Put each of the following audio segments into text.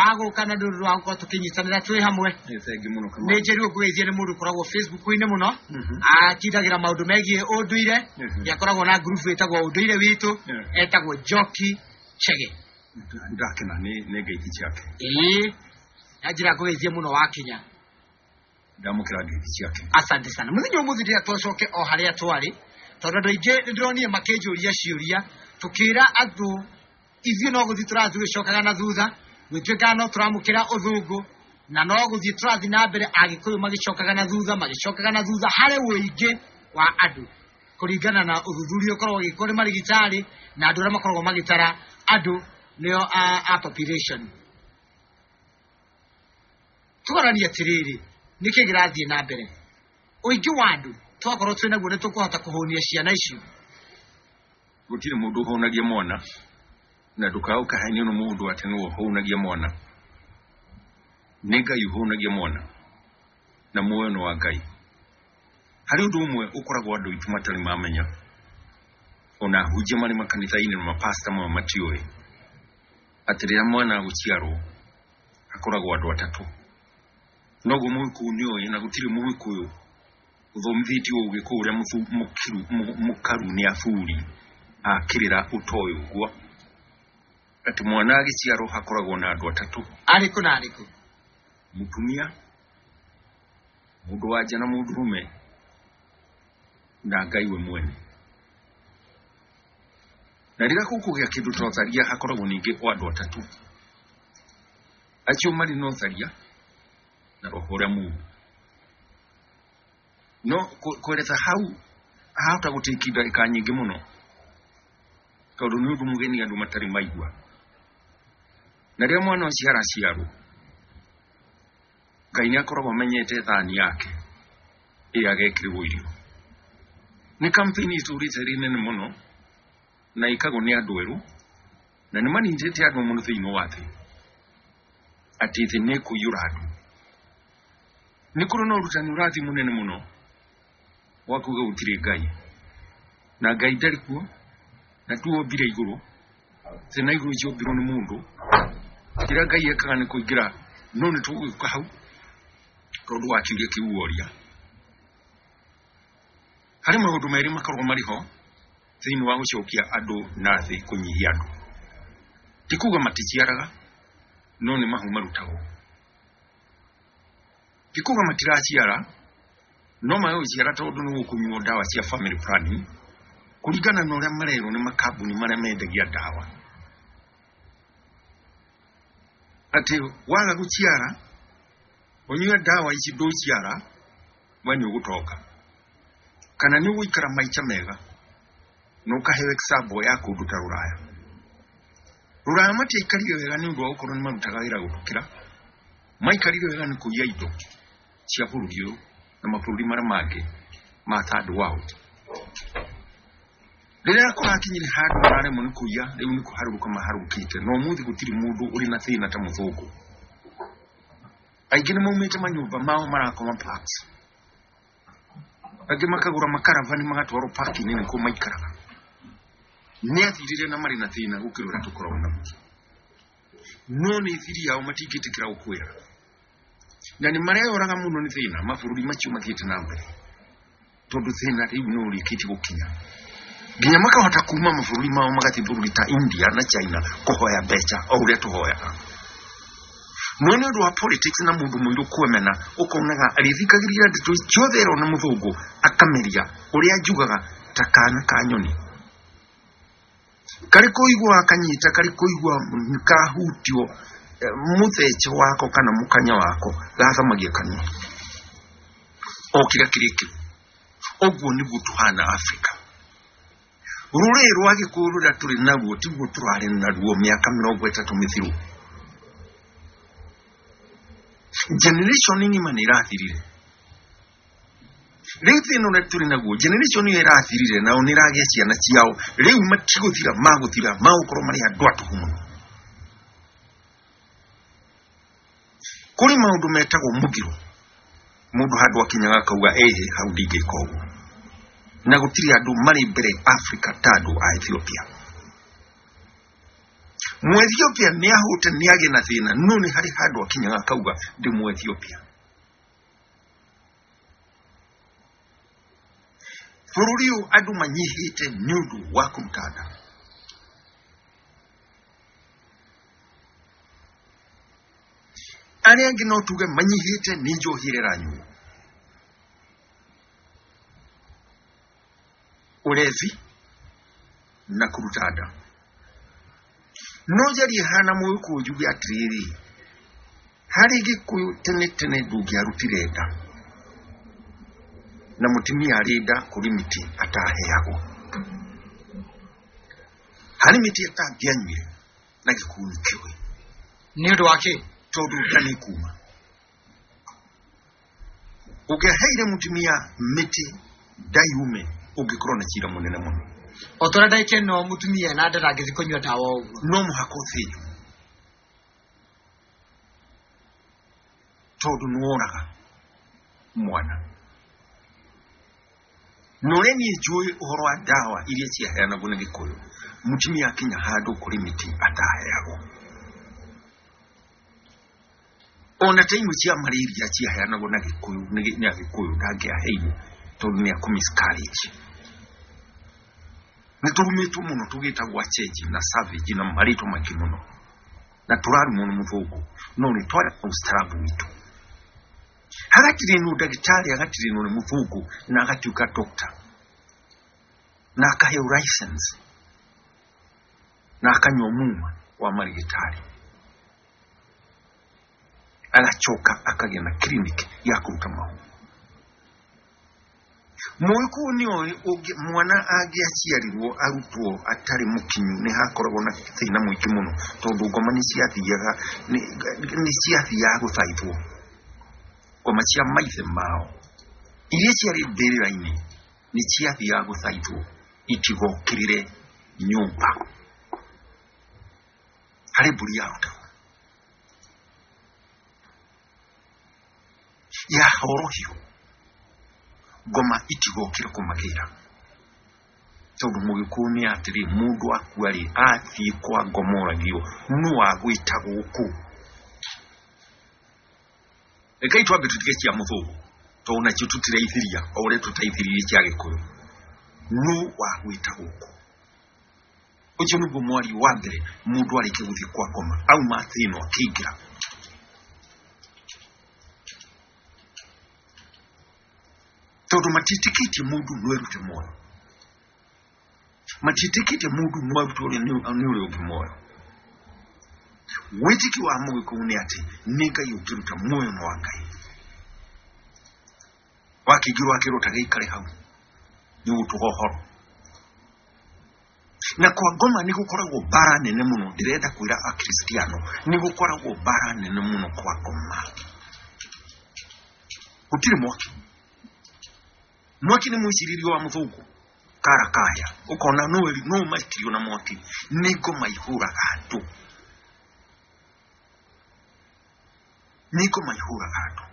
Wa gũka na nĩ ũndũ wa gũkorwo tũkĩnyitanĩra twĩ hamwe. Nĩ thengi mũno Kamau. Nĩ njĩrĩ ngũgeithie nĩ mũndũ ũkoragwo Facebook-inĩ mũno, akindagĩra maũndũ megiĩ ũndũire. Nĩ akoragwo na ngurubu ĩtagwo Ũndũire Witũ. Etagwo Njoki Chege. Ndakena nĩ ngeithi ciake. Ĩĩ, na njĩra ngũgeithie mũno wakinya. Ndamũkĩra ngeithi ciake. Asante sana. Mũthenya ũmũthĩ ndĩrĩa twacoke o harĩa twarĩ, tondũ andũ aingĩ nĩ ndĩronire makĩnjũria ciũria, tũkĩra andũ ithuĩ no gũthiĩ tũrathiĩ tũgĩcokaga na thutha, gwĩtuĩkaga no tũramũkĩra ũthũngũ na no gũthiĩ tũrathiĩ na mbere, Agĩkũyũ magĩcokaga na thutha, magĩcokaga na thutha harĩ ũingĩ wa andũ, kũringana na ũthuthuria ũkoragwo ũgĩkwo nĩ marigitari na andũ arĩa makoragwo magĩtara andũ, nĩo a population. Tũgaranie atĩrĩrĩ, nĩkĩ kĩrathiĩ na mbere? Ũingĩ wa andũ twakorwo twĩ naguo, nĩ tũkũhota kũhũnia ciana icio? Gũtirĩ mũndũ ũhũnagia mwana, na ndũkae ũkahenio nĩ mũndũ atĩ nĩwe ũhũnagia mwana. Nĩ Ngai ũhũnagia mwana, na muoyo nĩ wa Ngai. Harĩ ũndũ ũmwe ũkoragwo andũ aitũ matarĩ mamenya, ona ahunjia marĩ makanitha-inĩ na mapasta mamwe matiũĩ, atĩ rĩrĩa mwana agũciarwo hakoragwo andũ atatũ. Noguo Mũgĩkũyũ nĩoĩ, na gũtirĩ Mũgĩkũyũ ũthomithĩtio Ũgĩkũyũ ũrĩa mũkaru nĩ aburi akĩrĩra ũtoĩ ũguo, atĩ mwana agĩciarwo hakoragwo na andũ atatũ. Arĩkũ na arĩkũ? Mũtumia, mũndũ wa nja na mũndũrũme, na Ngai we mwene. Na rĩrĩa gũkũgĩa kĩndũ ta ũtharia, hakoragwo ningĩ o andũ atatũ, acio marĩ na ũtharia na roho ũrĩa mũũru. No kweretha hau hahota gũtĩki ndagĩka nyingĩ mũno, tondũ nĩ ũndũ mũgeni andũ matarĩ maigua. Na rĩrĩa mwana ũcio araciarwo, Ngai nĩ akoragwo amenyete thani yake ĩrĩa agekĩrĩrwo irio. Nĩ campaign itũrĩte ĩrĩ nene mũno, na ĩkagwo nĩ andũ erũ, na nĩ manyitĩte andũ mũno thĩinĩ wa thĩ, atĩ thĩ nĩ ĩkũiyũra andũ. Nĩ kũrĩ na ũrutani ũrathiĩ mũnene mũno wa kuga gũtirĩ Ngai, na Ngai ndarĩ kuo, na tuombire igũrũ, thĩ na igũrũ ciombirwo nĩ mũndũ. Kĩrĩa Ngai ekaga nĩ kũingĩra, no nĩ tũgũgĩũka hau tondũ wa kĩũria kĩu woria. Harĩ maũndũ merĩ makoragwo marĩ ho thĩinĩ wa gũcokia andũ na thĩ, kũnyihia andũ. Ti kuga maticiaraga, no nĩ mahu marutagwo. Ti kuga matiraciara, no magũciara tondũ nĩ gũkũnyuo ndawa cia family planning, kũringana na ũrĩa marerwo nĩ makambuni marĩa mendagia ndawa, atĩ waga gũciara ũnyue ndawa ici ndũciara, we nĩ ũgũtonga kana nĩ ũgũikara maica mega, na ũkaheo example ya kũndũ ta Rũraya. Rũraya matiaikarire wega nĩ ũndũ wa gũkorwo nĩ marutaga wĩra gũtũkĩra, maikarire wega nĩ kũiya indo cia bũrũri ũyũ na mabũrũri marĩa mangĩ ma third world. Rĩrĩa kũrakinyire handũ mararemwo nĩ kũiya, rĩu nĩ kũharũrũka maharũrũkĩte, na ũmũthĩ gũtirĩ mũndũ ũrĩ na thĩna ta mũthũngũ. Aingĩ nĩ maumĩte manyũmba mao, marakoma parks, angĩ makagũra makaravani magatwarwo park-inĩ nĩkuo maikaraga. Nĩ athirire na marĩ na thĩna gũkĩra ũrĩa tũkoragwo naguo, no nĩ thiri yao matingĩtĩkĩra gũkwĩra, na nĩ mareyoraga mũno nĩ thĩna mabũrũri macio mathiĩte na mbere, tondũ thĩna rĩu nĩ ũrĩkĩtie gũkinya nginya makahota kuma mabũrũri mao magathiĩ bũrũri ta India na China kũhoya mbeca o ũrĩa tũhoyaga. No nĩ ũndũ wa politics na mũndũ mũirũ kwemena, ũkonaga arĩthikagĩrĩria ndeto ciothe erwo nĩ mũthũngũ, akameria ũrĩa njugaga ta kana ka nyoni karĩ kũigua akanyita, karĩ kũigua kahutio mũthece wako kana mũkanya wako, gathamagia kanua o kĩrĩa kĩrĩkĩru. Ũguo nĩguo tũhana Afrika. Rũrĩrĩ rwa Gĩkũyũ rũrĩa tũrĩ naruo tiguo tũrarĩ naruo mĩaka 30 mĩthiru. Generation ng'ima nĩ ĩrathirire. Rĩu thĩna ũrĩa tũrĩ naguo, generation ĩyo ĩrathirire nao nĩ ĩragĩa ciana ciao, rĩu matigũthira, magũthira magũkorwo marĩ andũ atũhu mũno. Kũrĩ maũndũ metagwo mũgiro, mũndũ handũ akinyaga akauga ĩhĩ, hau ndingĩka ũguo. Na gũtirĩ andũ marĩ mbere Africa ta andũ a Ethiopia. Mũethiopia nĩ ahũte nĩ agĩe na thĩna no nĩ harĩ handũ akinyaga akauga ndĩ Mũethiopia. Bũrũri ũyũ andũ manyihĩte nĩ ũndũ wa kũruta nda. Arĩa angĩ no tuge manyihĩte nĩ njohi ĩrĩa ĩranyuo, ũrevi na kũruta nda. No njarie hana Mũgĩkũyũ njuge atĩrĩrĩ, harĩ Gĩkũyũ tene tene ndũngĩarutire nda na mũtumia arĩ nda kũrĩ mĩtĩ ataheagwo, harĩ mĩtĩ atangĩanyuire na gĩkuũ nĩ kĩũĩ. Nĩ ũndũ wa kĩ? Tondũ nda nĩ kuma. Ũngĩaheire mũtumia mĩtĩ nda yume, ũngĩkorwo na cira mũnene mũno. O ta ũrĩa ndagĩka ĩno mũtumia ena nda ndangĩthiĩ kũnyua ndawa ũguo. No mũhaka ũthĩnjwo tondũ nĩworaga mwana. Na ũrĩa niĩ njũĩ ũhoro wa ndawa iria ciaheanagwo nĩ Gĩkũyũ, mũtumia akinya handũ kũrĩ mĩtĩ ataheagwo. Ona ta imwe cia malaria ciaheanagwo na Gĩkũyũ nĩ Agĩkũyũ ndangĩaheirwo tondũ nĩ akũ miscarriage. Nĩ tũrumĩtwo mũno tũgĩtagwo achenji na savage na marĩtwa maingĩ mũno, na tũrarumwo nĩ mũthũngũ, no nĩ twarĩ na ũstaarabu witũ. Hagatirĩnwo ndagĩtarĩ, agatirĩnwo nĩ mũthũngũ na agatuĩka doctor na akaheo license na akanyua muma wa marigĩtarĩ, agacoka akagĩa na clinic ya kũruta mahu. Mũgĩkũyũ nĩ oĩ mwana angĩaciarirwo arutwo atarĩ mũkinyu nĩ hakoragwo na thĩna mũingĩ mũno, tondũ ngoma nĩ ciathiaga nĩ ciathiaga gũthaithwo, ngoma cia maithe mao iria ciarĩ mbĩrĩra-inĩ nĩ ciathiaga gũthaithwo itigokĩrĩre nyũmba harĩ mbũri yarutagwo ya horohio, ngoma itigokĩre kũmagĩra, tondũ Mũgĩkũyũ nĩ atĩrĩ, mũndũ akua rĩ athiĩ kwa ngoma oragio nũ wagwĩta gũkũ. Rekei twambe tũtige cia mũthũngũ tondũ nacio tũtiraithiria o ũrĩa tũtaithiririe cia Gĩkũyũ. Nũ wagwĩta gũkũ? Ũcio nĩguo mwario wa mbere mũndũ arĩkia gũthiĩ kwa ngoma auma thĩ ĩno akĩingĩra. Tondũ matiĩtĩkĩtie mũndũ no erute muoyo, matiĩtĩkĩtie mũndũ no arute ũrĩa nĩ ũrĩa ũngĩ muoyo. Wĩtĩkio wa Mũgĩkũyũ nĩ atĩ nĩ Ngai ũngĩruta muoyo no wa Ngai. Wakĩingĩrwo akĩrwo ta gĩikare hau nĩ ũgũtũga ũhoro. Na kwa ngoma nĩ gũkoragwo mbara nene mũno, ndĩrenda kwĩra Akristiano nĩ gũkoragwo mbara nene mũno kwa ngoma. Gũtirĩ mwaki. Mwaki nĩ mwĩcirĩrio wa mũthũngũ kara kaya, ũkona no maikirio na mwaki. Nĩ ngoma ihũraga andũ, nĩ ngoma ihũraga andũ.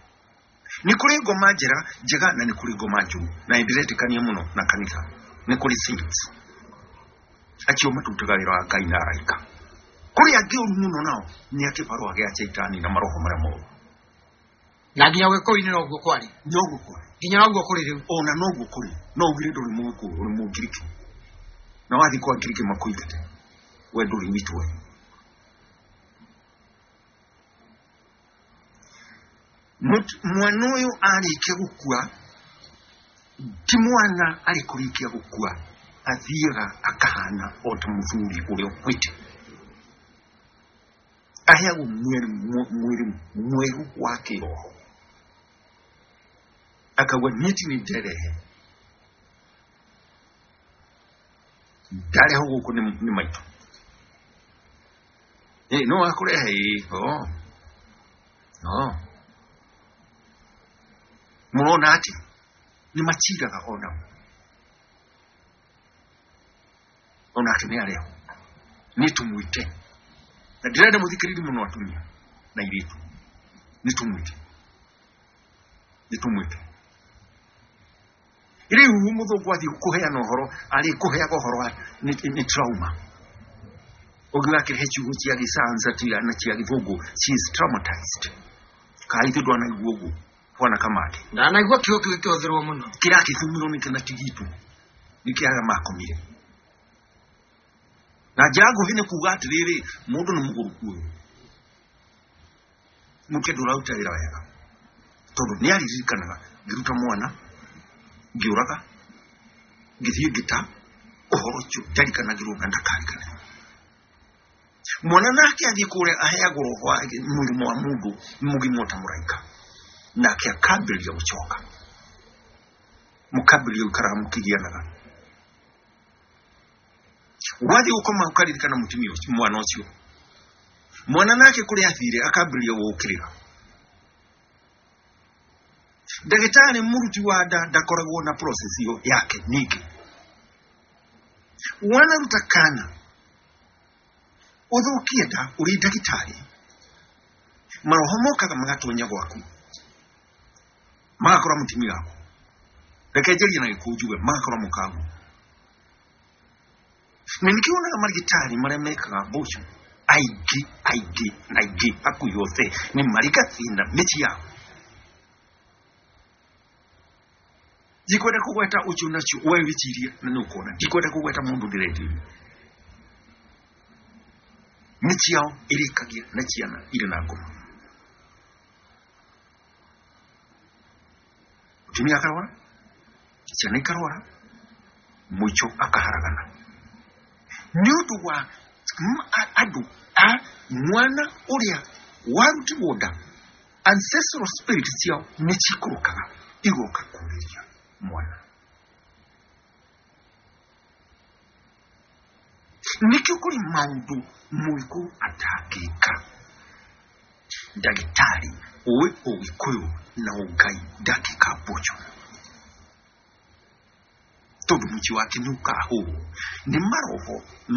Nĩ kũrĩ ngoma njega na nĩ kũrĩ ngoma njũru, na nĩndĩretĩkania mũno na kanitha. Nĩ kũrĩ saints acio matutaga wĩra wa Ngai na araika. Kũrĩ angĩ ũru mũno nao nĩ a kĩbarũa gĩa Shaitani na maroho marĩa moru. Na nginya Gĩkũyũ-inĩ noguo kwarĩ. Noguo kwarĩ. Nginya noguo kũrĩ rĩu. Ona noguo kũrĩ. No ugire ndũrĩ Mũgĩkũyũ, ũrĩ Mũngiriki. Na wathiĩ kwa Ngiriki makũingate, we ndũrĩ witũ we. Mwana ũyũ arĩkia gũkua, ti mwana arĩ kũrĩkia gũkua, athiaga akahana o ta mũthuri ũrĩa ũkuĩte. Aheagwo mwĩrĩ mwerũ wa kĩroho. Akauga niĩ ti nĩ nderehe, ndarehwo gũkũ nĩ maitũ. No akũrehe? Ĩĩ. Mũrona atĩ nĩ maciraga onao, onake nĩ arehwo, nĩ tũmwĩte. Na ndĩrenda mũthikĩrĩrie mũno atumia na airĩtu, nĩ tũmwĩte, nĩ tũmwĩte. Rĩu mũthũngũ athiĩ kũheana ũhoro, arĩ kũheaga ũhoro wa nĩ trauma. Ũngĩ wakĩrehe ciugo cia gĩcanza na cia gĩthũngũ, she is traumatized. Kaĩ ithuĩ ndwanaigua ũguo bwana Kamande? Ndanaigua kiugo kĩu gĩkĩhũthĩrwo mũno. Kĩrakĩthumirwo nĩ kĩna tigitũ nĩkĩ arĩa makomire. Na njĩra nguhĩ nĩ kuga atĩrĩrĩ, mũndũ nĩ mũgũrũku ũyũ, mũke ndũraruta wĩra wega, tondũ nĩ aririkanaga ngĩruta mwana, ngĩũraga, ngĩthiĩ ngĩta ũhoro ũcio ndarikanagĩrwo na ndakariganĩrwo. Mwana nake athiĩ kũrĩa aheagwo roho wa mũrimũ wa mũndũ mũgima ta mũraika, nake akambĩrĩria gũcoka, mũkambĩrĩria gũikaraga mũkĩgianaga. Wathiĩ gũkoma ũkaririkana mũtumia ũcio, mwana ũcio. Mwana nake kũrĩa athire akambĩrĩria gũũkĩrĩra. Ndagĩtarĩ mũruti wa nda ndakoragwo na process ĩyo yake. Ningĩ wanaruta kana ũthũkie nda ũrĩ ndagĩtarĩ, maroho mokaga magatonya gwaku, magakora mũtumia waku. Reke njarie na Gĩkũyũ njuge magakora mũkagu. Na nĩkĩo wonaga marigitari marĩa mekaga abortion aingĩ aingĩ na aingĩ hakuhĩ othe nĩ marĩ gathĩna mĩciĩ yao. Ndikwenda kũgweta ũcio nacio, we wĩcirie na nĩ ũkuona. Ndikwenda kũgweta mũndũ ndĩrendirie. Mĩciĩ yao ĩrĩkagia na ciana irĩ na ngoma, mũtumia akarwara, ciana ikarwara, mũico akaharagana nĩ ũndũ wa andũ a mwana ũrĩa warutirwo nda. Ancestral spirit ciao nĩ cikũrũkaga igoka kũrĩria mwana. Nĩkĩo kũrĩ maũndũ mũgĩkũyũ atangĩka, ndagĩtarĩ ũĩ ũgĩkũyũ na ũngai ndangĩka abortion, tondũ mũciĩ wake nĩ ũkahũrwo nĩ maroho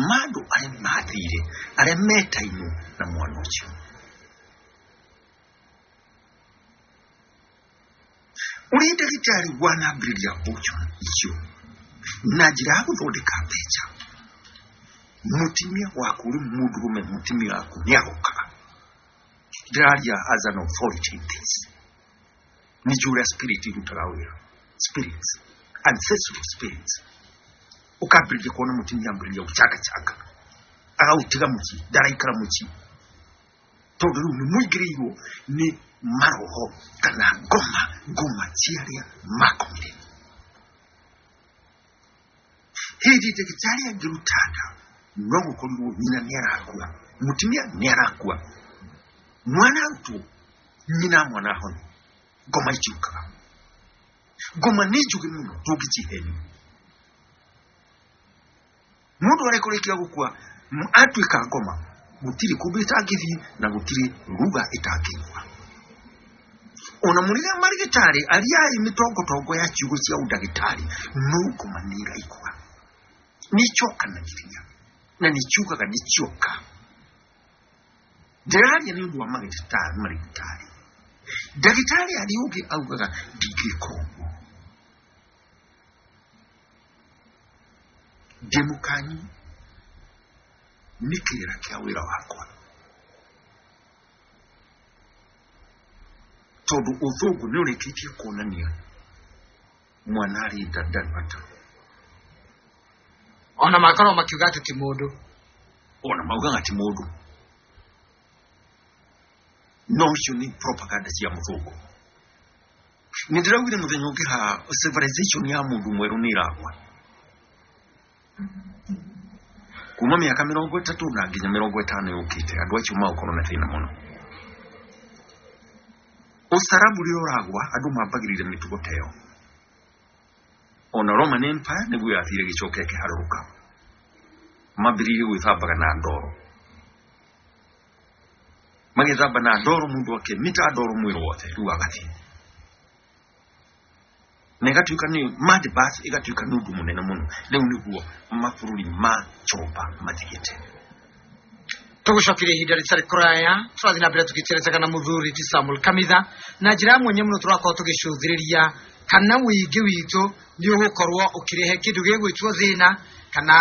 ma andũ arĩa mathire, arĩa metainwo na mwana ũcio. Ũrĩ ndagĩtarĩ wanambĩrĩria abortion icio na njĩra ya gũthondeka mbeca, mũtumia waku ũrĩ mũndũrũme, mũtumia waku nĩ agokaga. Ndĩraria as an authority in this. Nĩ njũĩ ũrĩa spirit irutaga wĩra, spirits, ancestral spirits. Ũkambĩrĩria kuona mũtumia ambĩrĩria gũcangacanga, agaũtiga mũciĩ, ndaraikara mũciĩ, tondũ rĩu nĩ mũingĩrĩirwo nĩ maroho kana ngoma, ngoma cia arĩa makomire. Hĩndĩ ndagĩtarĩ angĩruta nda, no gũkorirwo nyina nĩ arakua, mũtumia nĩ arakua, mwana arutwo, nyina mwana ahone. Ngoma itiũkaga, ngoma nĩ njũgĩ mũno, ndũngĩcihenia. Mũndũ arĩa kũrĩkia gũkua atuĩka ngoma, gũtirĩ kũndũ ĩtangĩthiĩ na gũtirĩ ruga ĩtangĩigua. Ona mũrĩrĩa marigĩtarĩ ariai mĩtongotongo ya ciugo cia ũndagĩtarĩ, no ngoma nĩ ĩraigua, nĩ icokanagĩrĩria na nĩ ciugaga nĩ cioka. Ndĩraria nĩ ũndũ wa marigĩtarĩ. Marigĩtarĩ, ndagĩtarĩ arĩa ũngĩ augaga ndingĩka ũguo, ndĩ mũkanyi nĩ kĩrĩra kĩa wĩra wakwa, tondũ ũthũngũ nĩ ũrĩkĩtie kuonania mwana arĩ nda ndarĩ bata. Ona makorwo makiuga atĩ ti mũndũ. Ona maugaga ti mũndũ, no icio nĩ propaganda cia mũthũngũ. Nĩ ndĩraugire mũthenya ũngĩ haha, civilization ya mũndũ mwerũ nĩ ĩragwa kuma mĩaka 30 na nginya 50 yũkĩte. Andũ acio magũkorwo na thĩna mũno. Ũcarabu rĩrĩa ũragwa, andũ mambagĩrĩria mĩtugo ta ĩyo. Ona Roman Empire nĩguo yathire gĩcoka ĩkĩharũrũka, mambĩrĩirie gwĩthambaga na ndoro, magĩthamba na ndoro, mũndũ akĩmita ndoro mwĩrĩ wothe, rĩu agathiĩ na ĩgatuĩka nĩ mud bath, ĩgatuĩka nĩ ũndũ mũnene mũno. Rĩu nĩguo mabũrũri ma chomba mathiĩte. Tũgũcokeria ihinda rĩtarĩ kũraya. Tũrathiĩ na mbere tũgĩterecaga na mũthuri ti Samuel Kamitha na njĩra ya mwanya mũno. Tũrakorwo tũgĩcũthĩrĩria kana ũingĩ witũ nĩ ũgũkorwo ũkĩrehe kĩndũ gĩgwĩtwo thĩna. Kana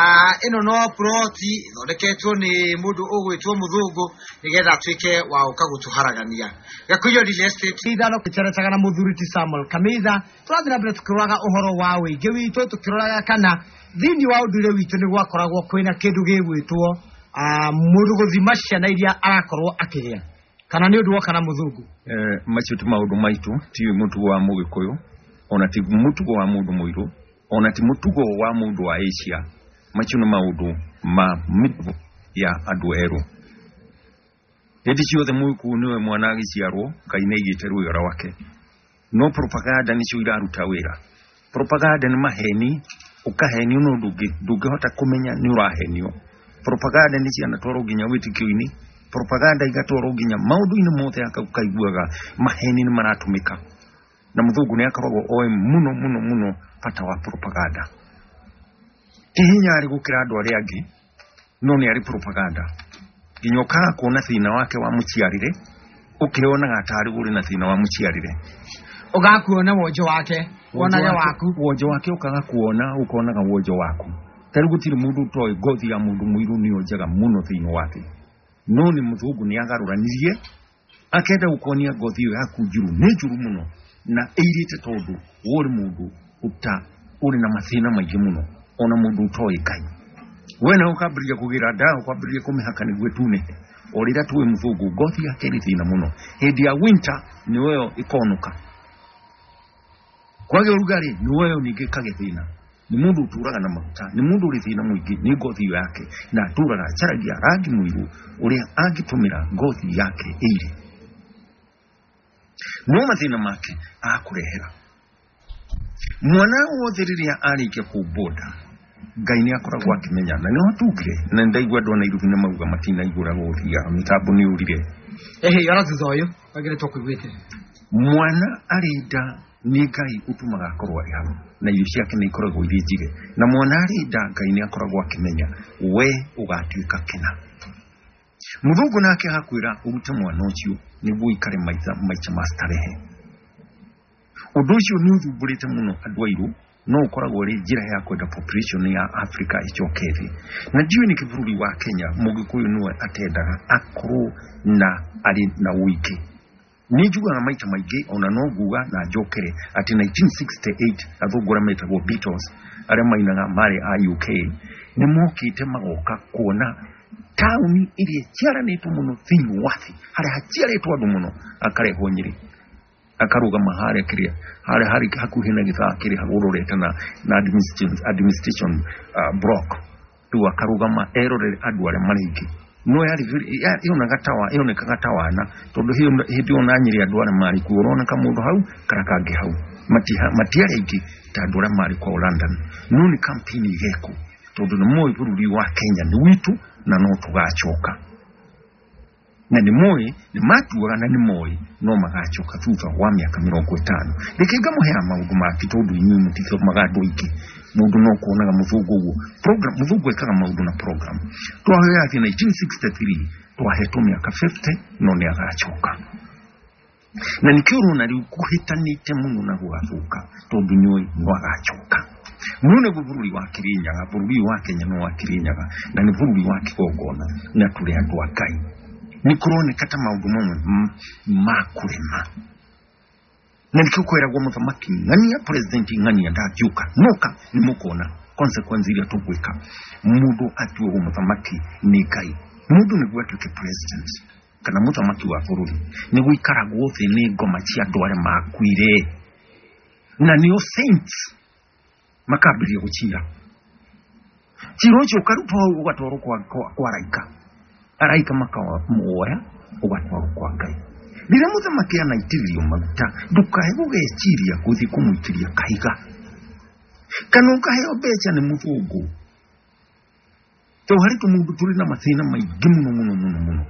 ĩno no ploti ĩthondeketwo nĩ mũndũ ũgwĩtwo mũthũngũ nĩgetha atuĩke wa gũka gũtũharagania. Gakuyo Real Estate ithano kĩceretaga na mũthuri ti Samuel Kamitha. Tũrathiĩ na mbere tũkĩroraga ũhoro wa ũingĩ witũ, tũkĩroraga kana thĩinĩ wa ũndũire witũ nĩ gwakoragwo kwĩna kĩndũ gĩgwĩtwo mũndũ gũthima ciana iria arakorwo akĩgĩa, kana nĩ ũndũ woka na mũthũngũ. Macio ti maũndũ maitũ, ti mũtugo wa mũgĩkũyũ, ona ti mũtugo wa mũndũ mũirũ, ona ti mũtugo wa mũndũ wa Asia. Macio nĩ maũndũ ma mĩtugo ya andũ erũ. Hĩndĩ ciothe mũgĩkũyũ nĩwe mwana agĩciarwo, Ngai nĩ aigĩte rwĩga rwake. No propaganda nĩcio iraruta wĩra. Propaganda nĩ maheni, ũkahenio no ndũngĩhota kũmenya nĩ ũrahenio. Propaganda nĩ cianatwarwo nginya wĩtĩkio-inĩ, propaganda igatwarwo nginya maũndũ-inĩ mothe, ũkaiguaga maheni nĩ maratũmĩka. Na mũthũngũ nĩ akoragwo oĩ mũno mũno mũno bata wa propaganda. Ti hinya arĩ gũkĩra andũ arĩa angĩ, no nĩ arĩ propaganda. Nginya ũkaga kuona thĩna wake wa mũciarĩre, ũkĩonaga tarĩ ũrĩ na thĩna wa mũciarĩre. Ũgakuona wonjo wake, wonage waku. Wonjo wake ũkaga kuona, ũkonaga wonjo waku. Ta rĩu gũtirĩ mũndũ ũtoĩ ngothi ya mũndũ mũirũ nĩyo njega mũno thĩinĩ wa thĩ. No nĩ mũthũngũ nĩ agarũranirie, akenda gũkuonia ngothi ĩyo yaku njũru nĩ njũru mũno, na ĩirĩte tondũ we ũrĩ mũndũ ũrĩ na mathĩna maingĩ mũno, ona mũndũ ũtoĩ Ngai. We nawe ũkambĩrĩria kũgĩra ndawa, ũkambĩrĩria kũmĩhaka nĩguo ĩtunĩhe. O rĩrĩa tũĩ mũthũngũ ngothi yake ĩrĩ thĩna mũno. Hĩndĩ ya winter nĩyo ĩkonũka. Kwagĩa ũrugarĩ nĩyo ningĩ ĩkagĩa thĩna. Nĩ mũndũ ũtũraga na maguta, nĩ mũndũ ũrĩ thĩna mũingĩ nĩ ngothi ĩyo yake, na atũraga acaragia rangi mũirũ ũrĩa angĩtũmĩra ngothi yake ĩire. No mathĩna make akũrehera. Mwana wothe rĩrĩa arĩkia kũmbwo nda, Ngai nĩ akoragwo akĩmenya, na nĩho tugire, na nĩ ndaigua andũ a Nairobi nĩ mauga matinaigũra gũthiaga, mĩtambo nĩ yũrire. Ehe, ona thutha ũyũ wagĩrĩtwo kũiguĩte. Mwana arĩ nda nĩ Ngai ũtũmaga akorwo arĩ hau, na irio ciake nĩ ikoragwo irĩ njige. Na mwana arĩ nda Ngai nĩ akoragwo akĩmenya we ũgatuĩka kĩna. Mũthũngũ nake agakwĩra ũrute mwana ũcio nĩguo ũikare maica ma starehe. Ũndũ ũcio nĩ ũthumbũrĩte mũno andũ airũ, no ũkoragwo ũrĩ njĩra ya kwenda population ya Africa ĩcoke thĩ. Na ndiũĩ nĩkĩ bũrũri wa Kenya mũgĩkũyũ nĩwe atendaga akorwo na arĩ na ũingĩ. Nĩ njugaga maita maingĩ ona no nguga na njokere atĩ 1968 athũngũ arĩa metagwo Beatles arĩa mainaga marĩ a UK nĩ mokĩte magoka kuona taũni ĩrĩa ĩciaranĩtwo mũno thĩinĩ wa thĩ, harĩa haciarĩtwo andũ mũno, akarehwo Nyĩrĩ, akarũgama harĩa kĩrĩa harĩa harĩ hakuhĩ na gĩthaa kĩrĩa ũrorete na administration block. Rĩu akarũgama erorere andũ arĩa marĩ aingĩ. No yarĩ yonaga tawa, yonekaga ta wana, tondũ hĩndĩ ĩyo na Nyĩrĩ andũ arĩa marĩ kuo ũroneka mũndũ hau kana kangĩ hau, matiarĩ aingĩ ta andũ arĩa marĩ kwao London. No nĩ campaign ĩgekwo tondũ nĩ moĩ bũrũri wa Kenya nĩ witũ na no tũgacoka. Na nĩ moĩ, nĩ matuaga na nĩ moĩ no magacoka thutha wa mĩaka 50. Reke ngamũheaga maũndũ mangĩ tondũ inyuĩ mũtithomaga andũ aingĩ. Mũndũ no kuonaga mũthũngũ ũguo. Program, mũthũngũ ekaga maũndũ na program. Twahoya atĩ 1963 twahetwo mĩaka 50 no nĩ agacoka. Na nĩkĩo ũrona rĩu kũhĩtanĩte mũno na gũgathũka tondũ nĩũĩ no agacoka. No nĩguo bũrũri wa Kĩrĩnyaga, bũrũri wa Kenya no wa Kĩrĩnyaga, na nĩ bũrũri wa kĩgongona, na tũrĩ andũ a Ngai. Nĩ kũroneka ta maũndũ mamwe ma kũrema. Na nĩkĩo kwĩragwo mũthamaki ng'ania, president ng'ania ndangĩũka. Noka nĩ mũkuona consequence iria tũgwĩka. Mũndũ atuagwo mũthamaki nĩ Ngai. Mũndũ nĩguo atuĩke president kana mũthamaki wa bũrũri nĩ gũikaragwo thĩ nĩ ngoma cia andũ arĩa makuire, na nĩo saints makambĩrĩria gũcira. Cira ũcio ũkarutwo hau ũgatwarwo kwa araika. Araika makamuoya ũgatwarwo kwa Ngai. Rĩrĩa mũthamaki anaitĩrĩrio maguta, ndũkae gũgeciria gũthiĩ kũmũitĩria kahiga kana ũkaheo mbeca nĩ mũthũngũ. Tondũ harĩ tũmũndũ tũrĩ na mathĩna maingĩ mũno mũno mũno mũno.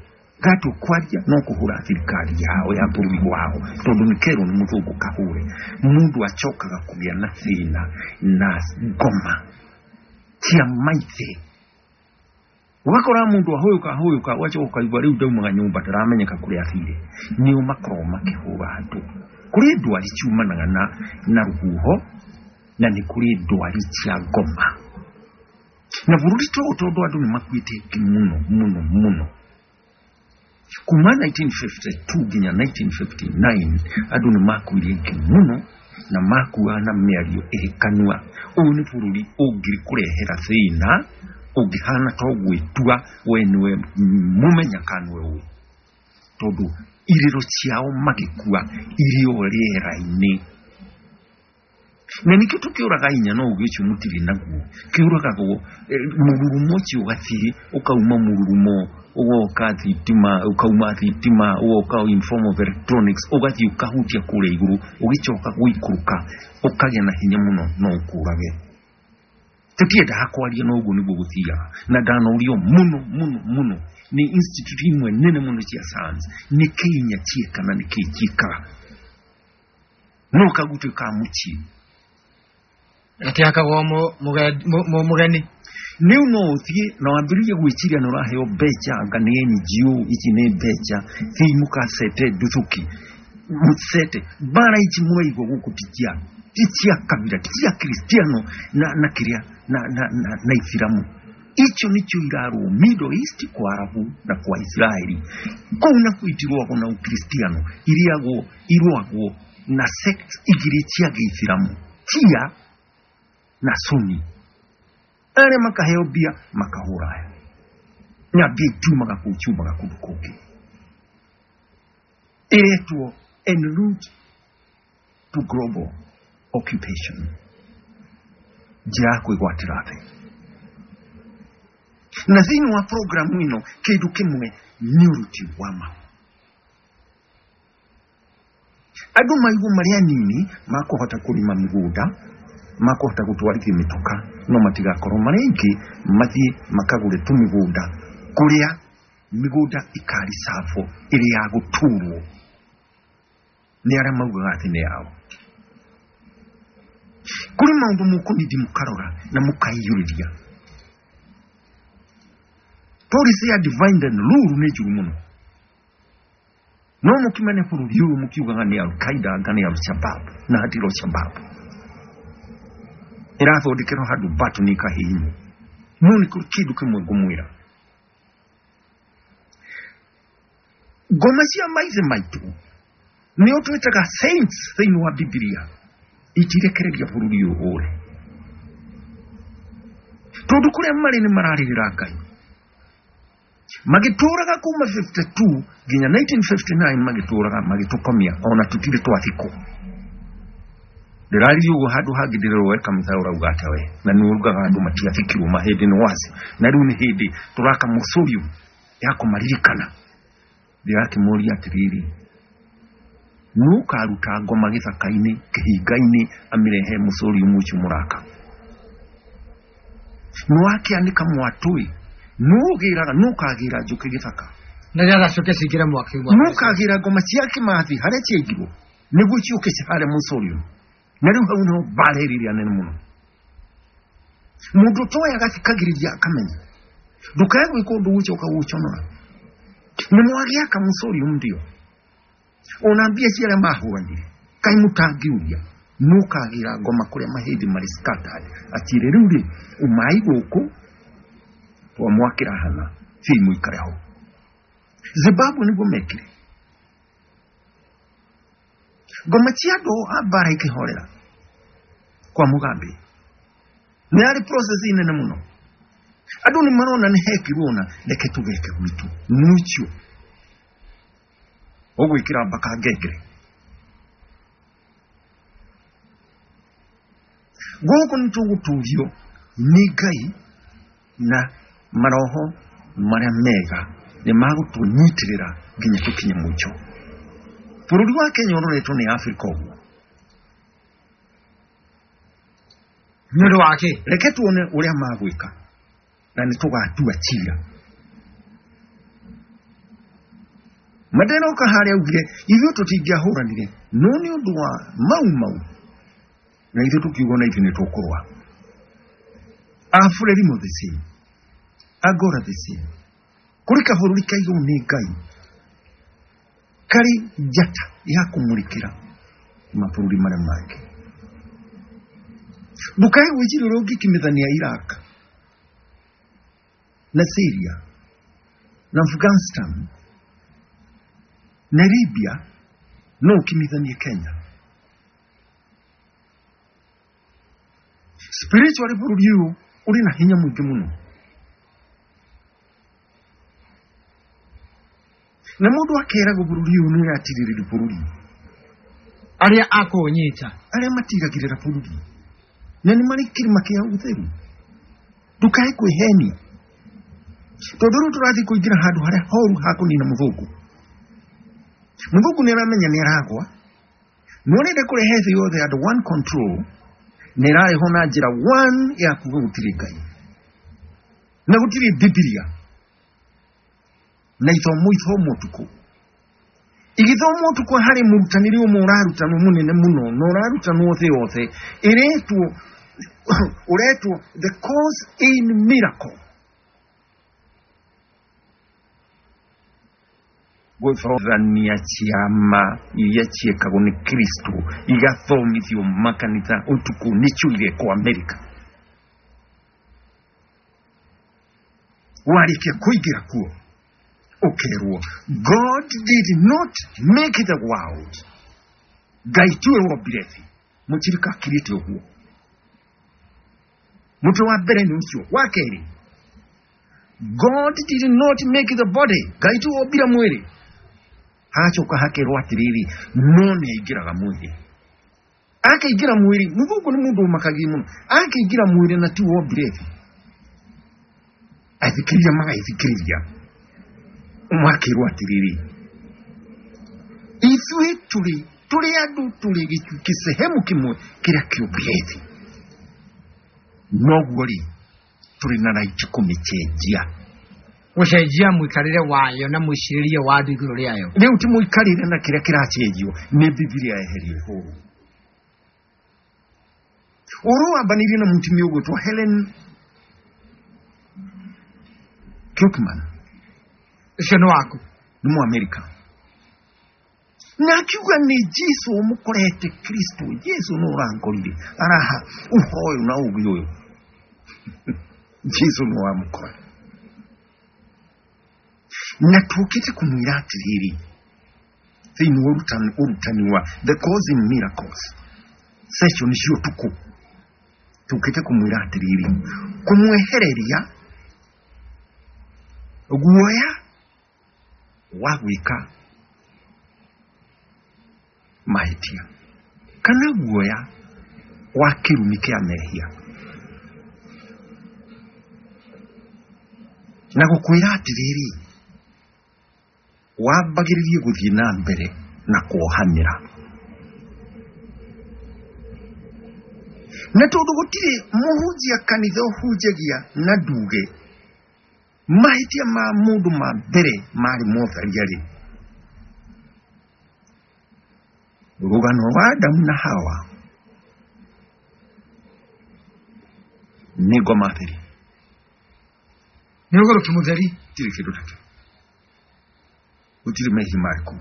Gatua kwaria no kũhũra thirikari yao ya bũrũri wao tondũ nĩ kerwo nĩ mũthũngũ kahũre. Mũndũ acokaga kũgĩa na thĩna na ngoma cia maithe. Ũgakora mũndũ ahũyũka ahũyũka, ũgacoka ũkaigua rĩu ndaumaga nyũmba ndaramenyeka kũrĩa athire. Nĩo makoragwo makĩhũra andũ. Kũrĩ ndwari ciumanaga na rũhuho, na nĩ kũrĩ ndwari cia ngoma. Na bũrũri ta ũyũ tondũ andũ nĩ makuĩte aingĩ mũno mũno mũno kuma 1952 nginya 1959 andũ nĩ makuire aingĩ mũno na makuaga na mĩario ĩrĩ kanua. Ũyũ nĩ bũrũri ũngĩkũrehera thĩna ũngĩhana ta ũgwĩtua we nĩwe mũmenya kana nĩwe ũĩ, tondũ irĩro ciao magĩkua irĩ o rĩera-inĩ. Na nĩkĩo tũkĩũraga inya no ũgĩ ũcio mũtirĩ naguo, kĩũragagwo mũrurumo ũcio ũgathiĩ ũkauma mũrurumo ũgoka thitima, ũkauma thitima ũgoka in form of electronics, ũgathiĩ ũkahutia kũrĩa igũrũ, ũgĩcoka gũikũrũka ũkagĩa na hinya mũno no ũkũrage. Tũtiendaga kwaria no ũguo nĩguo gũthiaga, na ndanorio mũno mũno mũno nĩ institute imwe nene mũno cia science, nĩkĩ inya ciĩka na nĩkĩ ciĩkaga, no kagutuĩka mũciĩ Gatiakagwo mũgeni. Rĩu no ũthiĩ na wambĩrĩrie gwĩciria nĩ ũraheo mbeca, anga nĩ NGO ici nĩ mbeca, thiĩi mũkacete nduthũki, mũcete mbara ici mũraigua gũkũ ti cia kabira, ti cia Kristiano na kĩrĩa na Ithiramu. Icio nĩcio irarũo Middle East kwa Arabu na kwa Israeli. Kũu nakuo itirũagwo na Ukristiano, irũagwo na sect igĩrĩ cia Gĩithiramu, Shia na Sunni. Arĩa makaheo mbia makahũra aya, na mbia itiumaga kũu, ciumaga kũndũ kũngĩ. Ĩretwo en route to global occupation, njĩra ya kwĩgwatĩra thĩ. Na thĩinĩ wa programu ĩno kĩndũ kĩmwe nĩ ũruti wa mahu. Andũ maigwo marĩ anini makũhota kũrĩma mĩgũnda, makũhota gũtwarithia mĩtoka, no matigakorwo marĩ aingĩ mathiĩ makagũre tũmĩgũnda kũrĩa mĩgũnda ĩkaricabwo ĩrĩ ya gũtũrwo nĩ arĩa maugaga atĩ nĩ yao. Kũrĩ maũndũ mũkũnindi mũkarora na mũkaiyũrĩria. Policy ya divide and rule nĩ njũru mũno. No mũkimene bũrũri ũyũ mũkiugaga nĩ Al-Qaeda anga nĩ Al-Shabaab, na hatirĩ Al-Shabaab. Ĩrathondekerwo handũ button ĩkahihinywo. No nĩ kũrĩ kĩndũ kĩmwe ngũmwĩra. Ngoma cia maithe maitũ nĩo twĩtaga saints thĩinĩ wa Bibilia itirekereria bũrũri ũyũ ũre, tondũ kũrĩa marĩ nĩ mararĩrĩra Ngai. Magĩtũraga kuma 52 nginya 1959, magĩtũraga magĩtũkomia ona tũtirĩ twathikwo. Ndĩraririe ũguo handũ hangĩ ndĩrerwo we kamũtha ũrauga atĩa we, na nĩ ugaga andũ matiathikirwo mahĩndĩ nĩ waci, na rĩu nĩ hĩndĩ tũraka mausoleum ya kũmaririkana. Ndĩrakĩmũria atĩrĩrĩ, nũ ũkaruta ngoma gĩthaka-inĩ kĩhinga-inĩ amĩrehe mausoleum ũcio mũraka? Nĩ wakĩanĩka mwatũĩ, nũ ũgĩraga, nũ ũkagĩra njũkĩ gĩthaka nĩgetha ciũke cingĩre mwaki? Nũ ũkagĩra ngoma cia kĩmathi harĩa ciaigirwo nĩguo ciũke cihare mausoleum? Na rĩu hau nĩho mbara ĩrĩa nene mũno. Mũndũ ũtoĩ agathikagĩrĩria akamenya ndũkae gwĩka ũndũ gũcoka gũconora. Nĩ mwagĩaka mausoleum ndio ona mbia cia arĩa mahũranire kaĩ mũtangĩũria nũ ũkagĩra ngoma kũrĩa mahĩndĩ marĩ scattered atire rĩu rĩ umai gũkũ twamwakĩra hana thiĩ mũikare ho. Zimbabwe nĩguo mekire ngoma cia andũ a mbara ikĩhorera kwa Mugambe. Nĩ yarĩ process nene mũno. Andũ nĩ marona nĩ hekirwo na reke tũgeke gwitũ nũcio ũgwĩkĩra mbaka ngengere gũkũ nĩ tũgũtũrio nĩ Ngai na maroho marĩa mega nĩ magũtũnyitĩrĩra nginya tũkinye mũico. Bũrũri wa Kenya ũroretwo nĩ Afrika ũguo. Nĩ ũndũ wa kĩ? Reke tuone ũrĩa magwĩka na nĩ tũgatua cira. Mandela oka harĩa augire ithuĩ tũtingĩahũranire no nĩ ũndũ wa mau mau, na ithuĩ tũkiuga na ithuĩ nĩ tũkũrũa. Afrelimo the same, Angola the same. Kũrĩ kabũrũri kaigwo nĩ Ngai karĩ njata ya kũmũrĩkĩra mabũrũri marĩa mangĩ. Ndũkae gwĩciria ũrĩa ũngĩkimithania Iraq. Na Syria na Afghanistan na Libya no ũkimithanie Kenya. Spiritually bũrũri ũyũ ũrĩ na hinya mũingĩ mũno, na mũndũ akeragwo bũrũri ũyũ nĩ ũratirĩrĩria bũrũri. Arĩa akũũnyita. Arĩa matiragĩrĩra bũrũri na nĩ marĩ kĩrĩma kĩa ũtheru. Ndũkae kwĩhenia, tondũ rĩu tũrathiĩ kũingĩra handũ harĩa horu ha kũnina mũthũngũ. Mũthũngũ nĩ aramenya nĩ aragwa, no arenda kũrehe thĩ yothe under one control, na ĩrarehwo na njĩra one ya kuga gũtirĩ Ngai na gũtirĩ Bibilia, na ithomo ithomwo ũtukũ, igĩthomwo ũtukũ harĩ mũrutanĩri ũmwe ũrarutanwo mũnene mũno na ũrarutanwo thĩ yothe, ĩretwo ũretwo The Course in Miracle. Gũthomithania ciama iria ciĩkagwo nĩ Kristo igathomithio makanitha ũtukũ nĩcio irekwo Amerika. Warĩkia kũingĩra kuo ũkerwo God did not make the world, Ngai tiwe wombire thĩ. Mũtirika akirĩte ũguo. Mũtwe wa mbere nĩ ũcio. Wa kerĩ, God did not make the body, Ngai tiwe wombire mwĩrĩ. Hacoka hakerwo atĩrĩrĩ, no nĩ aingĩraga mwĩrĩ, akaingĩra mwĩrĩ. Mũthũngũ nĩ mũndũ ũmakagia mũno, akaingĩra mwĩrĩ na tiwe wombire thĩ. Athikĩrĩria magaithikĩrĩria, makerwo atĩrĩrĩ, ithuĩ tũrĩ andũ, tũrĩ gĩsehemu kĩmwe kĩrĩa kĩũmbire thĩ, noguo rĩ tũrĩ na right kũmĩcenjia. Gũcenjia mũikarĩre wayo na mwĩcirĩrie wa andũ igũrũ rĩayo. Rĩu ti mũikarĩre na kĩrĩa kĩracenjio nĩ Bibilia yeherio ĩhũrwo. Ũhoro wambanĩirie na mũtumia ũgwĩtwo Helen Kirkman. Ũcio nĩ waku. Nĩ Mũamerika, na akiuga nĩ Jesu ũmũkorete, Kristo Jesu nĩ ũrankorire, araha ũhoyo na ũgĩ ũyũ Jesu nĩ wamũkora. Na tũkĩte kũmwĩra atĩrĩrĩ, thĩinĩ wa ũrutani wa The Course in Miracles session cia ũtukũ, tũkĩte kũmwĩra atĩrĩrĩ, kũmwehereria guoya wa gwĩka mahĩtia kana guoya wa kĩrumi kĩa mehia, na gũkwĩra atĩrĩrĩ, wambagĩrĩrie gũthiĩ na mbere na kuohanĩra, na tondũ gũtirĩ mũhunjia kanitha ũhunjagia na nduge mahĩtia ma mũndũ ma mbere marĩ motharia rĩ, rũgano rwa Adamu na Hawa nĩ ngoma theri. Nĩ ũgũrũki mũtheri. Gũtirĩ kĩndũ takĩo, gũtirĩ mehia marĩ kũu.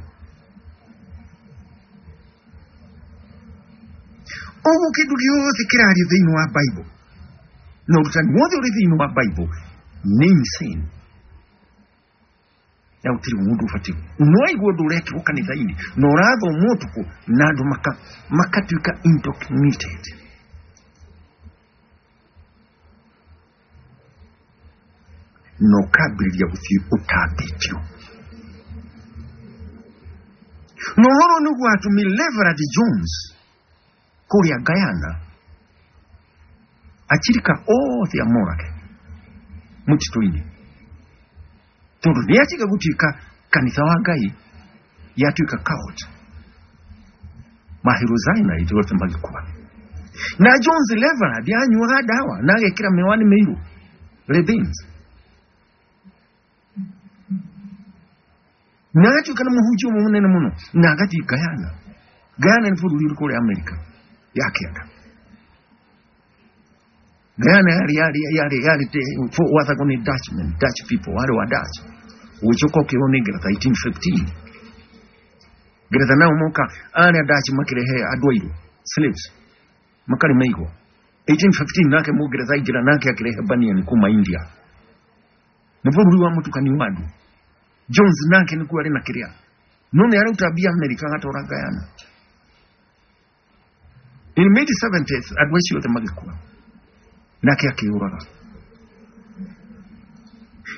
Ũguo kĩndũ gĩothe kĩrario thĩinĩ wa Bible na ũrutani wothe ũrĩ thĩinĩ wa Bible nĩ insane, na gũtirĩ mũndũ ũbatiĩ no aigua ũndũ ũrekĩrwo kanitha-inĩ na ũrathomwo ũtukũ na andũ makatuĩka indoctrinated. Na ũkambĩrĩria gũthiĩ ũtambĩtio. Na ũhoro nĩguo atũmire Reverend Jones kũrĩa Guyana achirika othe amorage mũtitũ-inĩ, tondũ nĩ atiga gũtuĩka kanitha wa Ngai, yatuĩka cult. Mahirozina othe magĩkua. Na Jones Reverend anyuaga ndawa na agekĩra mĩwani mĩirũ, Ray-Bans, na agatuĩka nĩ mũhunjia ũmwe mũnene mũno, na agathiĩ Guyana. Guyana nĩ bũrũri ũrĩ kũrĩa Amerika ya kĩanda. Guyana yarĩ wathagwo nĩ Dutchmen, Dutch people, warĩ wa Dutch, ũgĩcoka ũkĩrwo nĩ Ngeretha 1815. Ngeretha nao moka arĩa Dutch makĩrehe andũ airũ, slaves, makarĩma igwa 1815. Nake Mũngeretha aingĩra, nake akĩrehe baniani kuma India. Nĩ bũrũri wa mũtukanio wa andũ. Jones nake nĩkuo arĩ na kĩrĩa, no nĩ arauta mbia Amerika agatwara Guyana. In mid 70s andũ acio othe magĩkua, nake akĩũraga.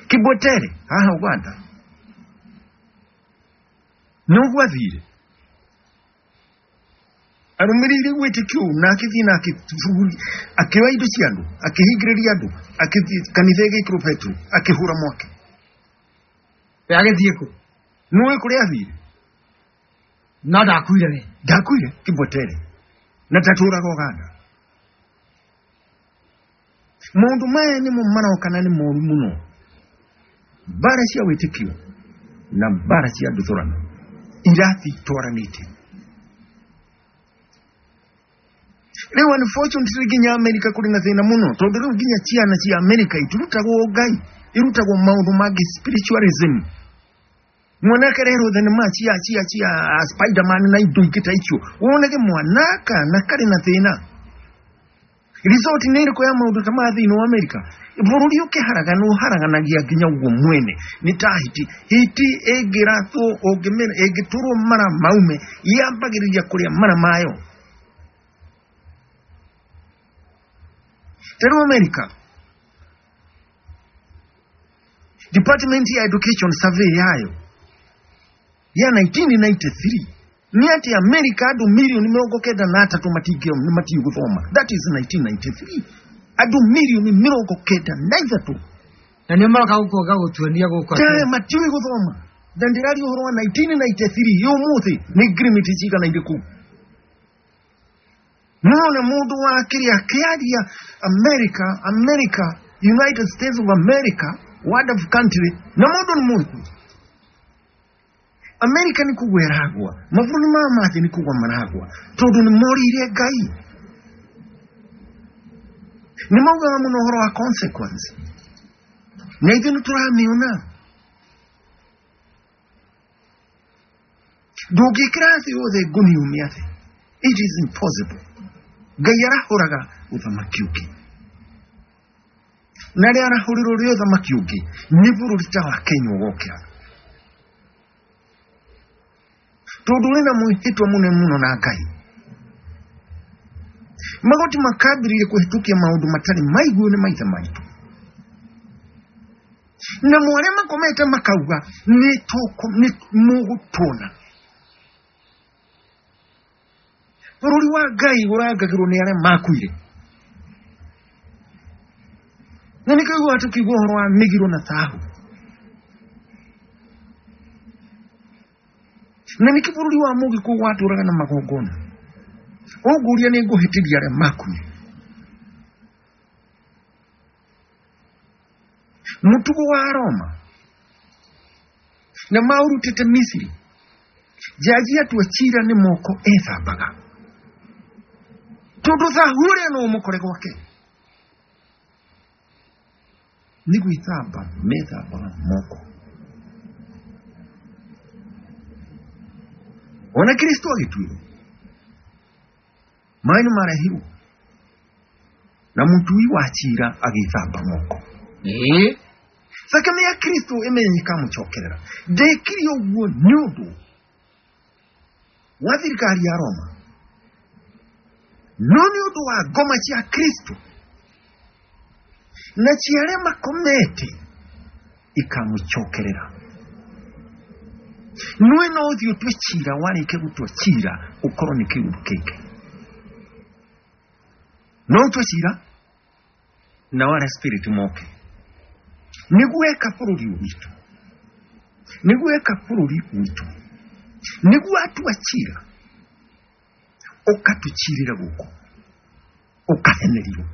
Kibwetere haha Uganda nĩguo athire arũmĩrĩire wĩtĩkio ũũ, na akĩthiĩ na akĩoya indo cia andũ, akĩhingĩrĩria andũ, akĩthiĩ kanitha ĩgĩkĩrwo petro, akĩhũra mwaki. We agĩthiĩ kũ? Nĩũĩ kũrĩa athire? No ndakuire we. Ndakuire Kibwetere na ndatũraga Uganda. Maũndũ maya nĩmo maroka na nĩ moru mũno, mbara cia wĩtĩkio na mbara cia nduthũrano irathiĩ itwaranĩte. Rĩu unfortunately nginya Amerika kũrĩ na thĩna mũno, tondũ rĩu nginya ciana cia Amerika itirutagwo Ngai, irutagwo maũndũ mangĩ, spiritualism. Mwana akarerwo thenema cia Spiderman na indo ingĩ ta icio, wonage mwana kana karĩ na thĩna. Result nĩ ĩrĩkũ ya maũndũ ta maya thĩinĩ wa Amerika? Bũrũri ũkĩharagana ũharaganagia nginya ũguo mwene. Nĩ ta hiti, hiti ĩngĩrathwo, ĩngĩtũrwo mara maume, yambagĩrĩria kũrĩa mara mayo. Ta rĩu Amerika, Department ya Education survey yayo ya 1993 nĩ atĩ Amerika andũ 93,000,000 matiũĩ gũthoma. That is 1993, andũ 93,000,000. Na nĩo maroka gũkũ gũtuonia gũkũ atĩ matiũĩ gũthoma. Na ndĩraria ũhoro wa 1993, ũmũthĩ nĩ ngirimiti cigana irĩkũ? Nona mũndũ wa kĩrĩa akĩaria America, America, United States of America, wonderful country, na mũndũ nĩ mũĩkũ. America nĩ kũgwa ĩragwa, mabũrũri ma mathĩ nĩ kũgwa maragwa, tondũ nĩ morĩire Ngai. Nĩ maugaga mũno ũhoro wa consequence, na ithuĩ nĩ tũramĩona. Ndũngĩkĩra thĩ yothe ngũni ũmĩathe, it is impossible. Ngai arahũraga ũthamaki ũngĩ, na rĩa arahũrĩrwo rĩ ũthamaki ũngĩ nĩ bũrũri ta wa Kenya ũgokĩra, tondũ ũrĩ na mwĩhĩtwa mũnene mũno na Ngai. Magoti makambĩrĩria kũhĩtũkia maũndũ matarĩ maiguo nĩ maithe maitũ, na mwarĩa makomete makauga nĩ mũgũtuona. Bũrũri wa Ngai ũrangagĩrwo nĩ arĩa makuire, na nĩkĩo ũiguaga tũkiuga ũhoro wa mĩgiro na thahu. Na nĩkĩo bũrũri wa Mũgĩkũyũ watũraga na magongona. Ũngũria nĩ ngũhĩtĩria arĩa makuire. Mũtugo wa Roma na maũrutĩte Misiri, jaji atua cira nĩ moko ethambaga, tondũ thahu ũrĩa no ũmũkore gwake. Nĩ gwĩthamba methambaga moko. Ona Kristo agĩtuĩrwo, maĩ nĩ marehirwo na mũtui wa cira agĩthamba moko. Thakame ya Kristo ĩmenye ĩkamũcokerera. Ndekire ũguo nĩ ũndũ wa thirikari ya Roma, no nĩ ũndũ wa ngoma cia Kristo na cia arĩa makomete ikamũcokerera. Nĩwe no ũthiĩ ũtue cira, warĩkia gũtua cira ũkorwo nĩ kĩũndũ kĩngĩ. No ũtue cira na wale spirit moke. Nĩguo eka bũrũri witũ, nĩguo eka bũrũri witũ, nĩguo atua cira ũkatũcirĩra gũkũ, ũkahenerio.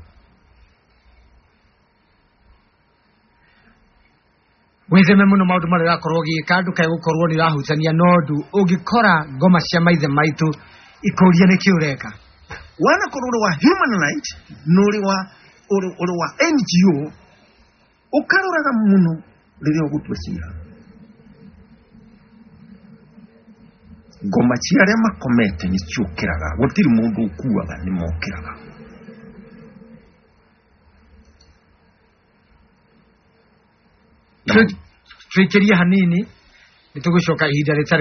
Wĩtheme mũno maũndũ marĩa ũrakorwo ũgĩka, ndũkae gũkorwo nĩ ũrahutania na ũndũ ũngĩkora ngoma cia maithe maitũ ikũria nĩkĩ ũreka. Wanakorwo ũrĩ wa human right na ũrĩ wa NGO, ũkaroraga mũno rĩrĩa ũgũtua cira. Ngoma cia arĩa makomete nĩ ciũkĩraga, gũtirĩ mũndũ ũkuaga, nĩ mokĩraga. Na Twĩkĩrie hanini, nĩ tũgũcoka ihinda rĩtarĩ.